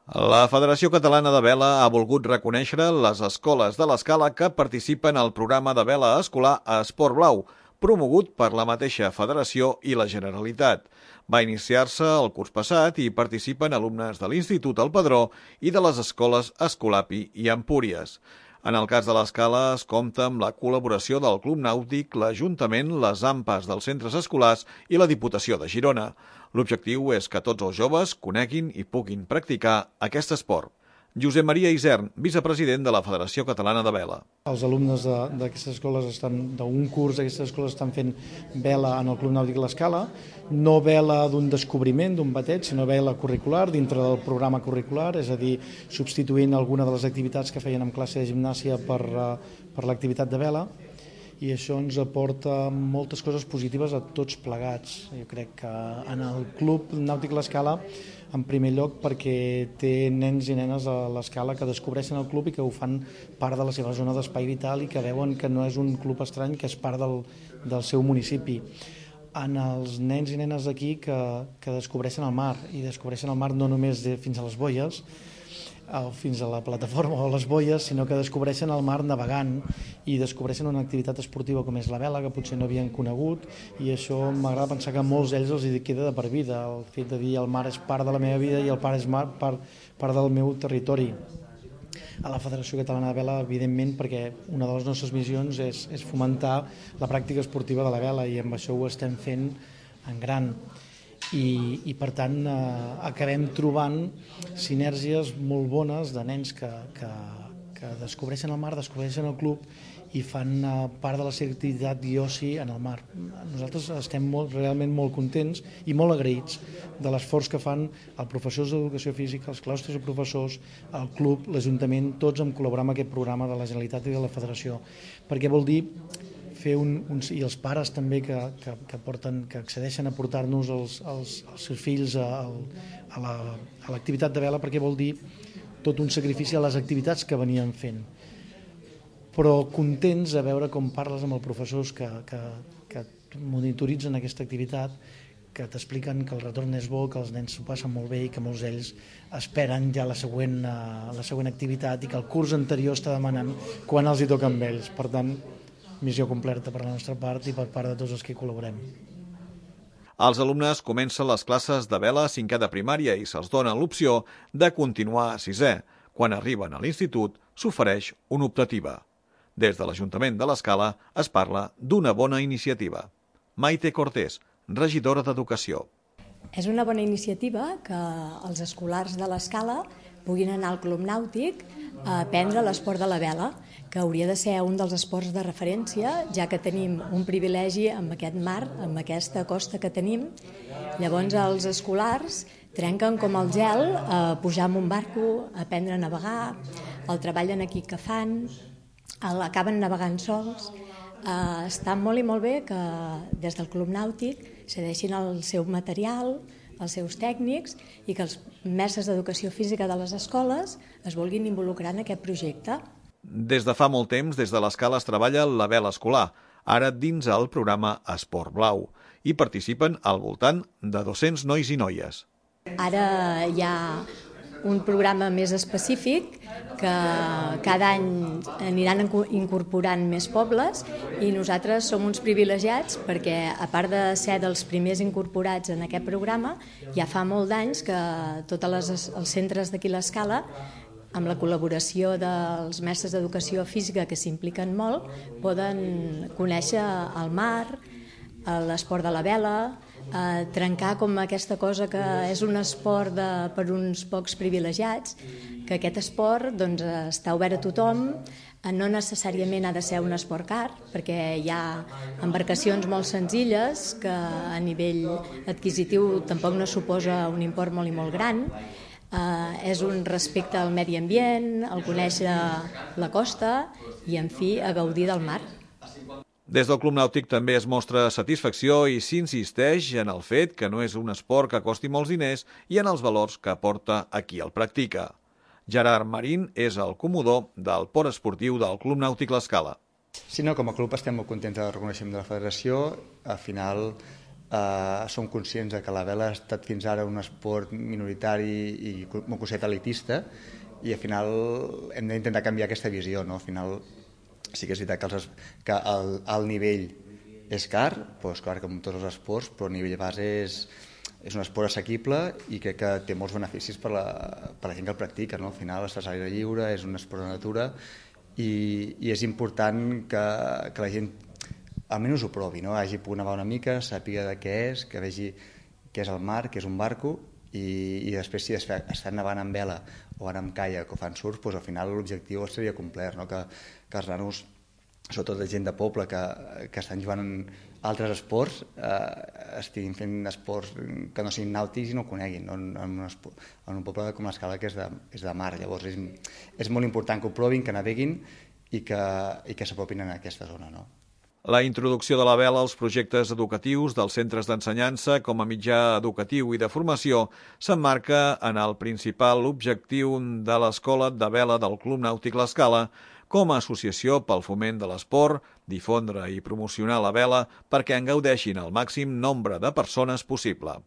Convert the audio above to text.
La Federació Catalana de Vela ha volgut reconèixer les escoles de l'Escala que participen al programa de vela escolar Esport Blau, promogut per la mateixa Federació i la Generalitat. Va iniciar-se el curs passat i participen alumnes de l'Institut El Pedró i de les escoles Escolapi i Empúries. En el cas de l'Escala es compta amb la col·laboració del Club Nàutic, l'Ajuntament, les AMPAs dels centres escolars i la Diputació de Girona. L'objectiu és que tots els joves coneguin i puguin practicar aquest esport. Josep Maria Isern, vicepresident de la Federació Catalana de Vela. Els alumnes d'aquestes escoles d'un curs d'aquestes escoles estan fent vela en el Club Nàutic l'Escala, no vela d'un descobriment, d'un bateig, sinó vela curricular dintre del programa curricular, és a dir, substituint alguna de les activitats que feien en classe de gimnàsia per l'activitat de vela, i això ens aporta moltes coses positives a tots plegats. Jo crec que en el Club Nàutic l'Escala, en primer lloc perquè té nens i nenes a l'Escala que descobreixen el club i que ho fan part de la seva zona d'espai vital i que veuen que no és un club estrany, que és part del seu municipi. En els nens i nenes d'aquí que descobreixen el mar, i descobreixen el mar no només fins a les boies, fins a la plataforma o a les boies, sinó que descobreixen el mar navegant i descobreixen una activitat esportiva com és la vela, que potser no havien conegut, i això m'agrada pensar que a molts d'ells els hi queda de per vida, el fet de dir el mar és part de la meva vida i el mar és part del meu territori. A la Federació Catalana de Vela, evidentment, perquè una de les nostres missions és fomentar la pràctica esportiva de la vela, i amb això ho estem fent en gran. I per tant acabem trobant sinergies molt bones de nens que descobreixen el mar, descobreixen el club i fan part de la seva activitat i oci en el mar. Nosaltres estem realment molt contents i molt agraïts de l'esforç que fan els professors d'educació física, els claustres de professors, el club, l'Ajuntament, tots en col·laborar amb aquest programa de la Generalitat i de la Federació, perquè vol dir fer i els pares també que accedeixen a portar-nos els seus fills a l'activitat de vela, perquè vol dir tot un sacrifici a les activitats que venien fent. Però contents a veure com parles amb els professors que monitoritzen aquesta activitat, que t'expliquen que el retorn és bo, que els nens s'ho passen molt bé i que molts d'ells esperen ja la següent activitat i que el curs anterior està demanant quan els hi toca amb ells. Per tant, missió completa per la nostra part i per part de tots els que hi col·laborem. Els alumnes comencen les classes de vela a 5è de primària i se'ls dona l'opció de continuar a 6è. Quan arriben a l'institut s'ofereix una optativa. Des de l'Ajuntament de l'Escala es parla d'una bona iniciativa. Maite Cortés, regidora d'Educació. És una bona iniciativa que els escolars de l'Escala puguin anar al Club Nàutic a aprendre l'esport de la vela, que hauria de ser un dels esports de referència, ja que tenim un privilegi amb aquest mar, amb aquesta costa que tenim. Llavors els escolars trenquen com el gel a pujar en un barco, a aprendre a navegar, el treball en equip que fan, acaben navegant sols. Està molt i molt bé que des del Club Nàutic cedeixin el seu material, els seus tècnics, i que els mestres d'educació física de les escoles es vulguin involucrar en aquest projecte. Des de fa molt temps, des de l'Escala es treballa la vela escolar, ara dins el programa Esport Blau. Hi participen al voltant de 200 nois i noies. Ara hi ha un programa més específic que cada any aniran incorporant més pobles, i nosaltres som uns privilegiats perquè, a part de ser dels primers incorporats en aquest programa, ja fa molt d'anys que tots els centres d'aquí l'Escala, amb la col·laboració dels mestres d'educació física que s'impliquen molt, poden conèixer el mar, l'esport de la vela, trencar com aquesta cosa que és un esport per uns pocs privilegiats, que aquest esport està obert a tothom, no necessàriament ha de ser un esport car, perquè hi ha embarcacions molt senzilles que a nivell adquisitiu tampoc no suposa un import molt i molt gran. És un respecte al medi ambient, el conèixer la costa i, en fi, a gaudir del mar. Des del Club Nàutic també es mostra satisfacció i s'insisteix en el fet que no és un esport que costi molts diners i en els valors que aporta a qui el practica. Gerard Marín és el comodor del port esportiu del Club Nàutic l'Escala. Sí, no, com a club estem molt contents del reconeixement de la federació. Al final som conscients que la vela ha estat fins ara un esport minoritari i molt considerat elitista, i al final hem d'intentar canviar aquesta visió, no? Al final sí que és veritat que el nivell és car, doncs clar, com tots els esports, però el nivell base és un esport assequible i crec que té molts beneficis per la gent que el practica, no? Al final estàs a l'aire lliure, és un esport de natura i és important que la gent almenys ho provi, no? Hagi pogut nevar una mica, sàpiga de què és, que vegi què és el mar, què és un barco, i després si estan nevant amb vela o anar amb caiac o fan surf, doncs al final l'objectiu seria complert, no? Que els nanos, sobretot la gent de poble que estan jugant altres esports, estiguin fent esports que no siguin nàutics i no ho coneguin, no? En un poble com l'Escala, que és de mar. Llavors és molt important que ho provin, que naveguin i que s'apropin a aquesta zona, no? La introducció de la vela als projectes educatius dels centres d'ensenyança com a mitjà educatiu i de formació s'emmarca en el principal objectiu de l'Escola de Vela del Club Nàutic L'Escala com a associació pel foment de l'esport, difondre i promocionar la vela perquè en gaudeixin el màxim nombre de persones possible.